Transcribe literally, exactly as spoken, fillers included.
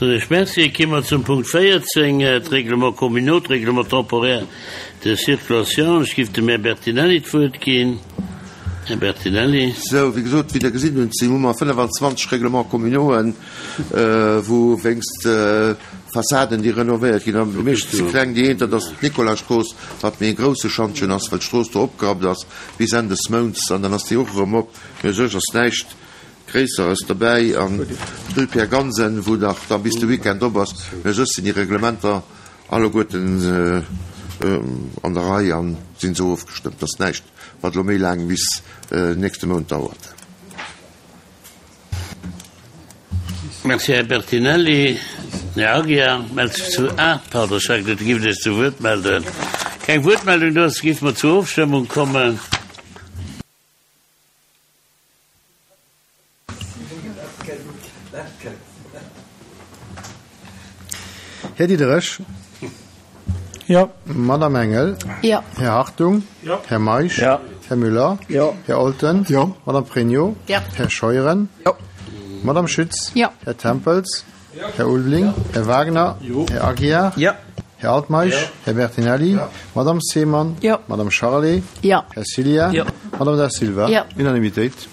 Soen ech Merci. Gi mer zum Punkt véierzéng, d'Règlements communaux, d'Règlement temporaire de circulation. Ech géif dem Här Bertinelli d'Wuert ginn. Här Bertinelli. Sou, wéi gesot, wéi Der gesinn hutt, si hu mer fënnefenzwanzeg Règlements communauxen, wou wéinst Fassaden, déi renovéiert ginn, am meeschten ze kleng, déi eent, dat ass d'Nicolasstrooss, wat méi e grousse Schantjen ass, well d'Strooss do opgerappt ass bis Enn des Mounts an dann ass déi och erëm op. Mee u sech ass näischt Gréisseres dobäi an d'Rue Pierre Gansen, wou nach da bis de Weekend op ass. Mee u sech sinn déi Reglementer alleguerten an der Rei a sinn esou ofgestëmmt, dass näischt, wat elo méi laang bis nächste Mount dauert. Merci, Här Bertinelli. Den Här Aguiar mellt sech zu. Ah, pardon, ech hat geduet, Dir gift Iech zu Wuert melden. Keng Wuertmeldung do ass, géife mer zur Ofstëmmung kommen. Här Diderich. Jo. Madame Engel. Jo. Här Hartung. Jo. Här Meisch. Jo. Här Müller. Jo. Här Olten. Jo. Madame Pregno. Jo. Här Scheuren. Jo. Madame Schütz. Jo. Här Tempels. Jo. Här Ulveling. Här Wagner. Jo. Här Aguiar. Jo. Här Altmeisch. Jo. Här Bertinelli. Jo. Madame Seemann. Jo. Madame Charlé. Jo. Här Cillien. Jo. Madame Da Silva. Jo. Unanimitéit.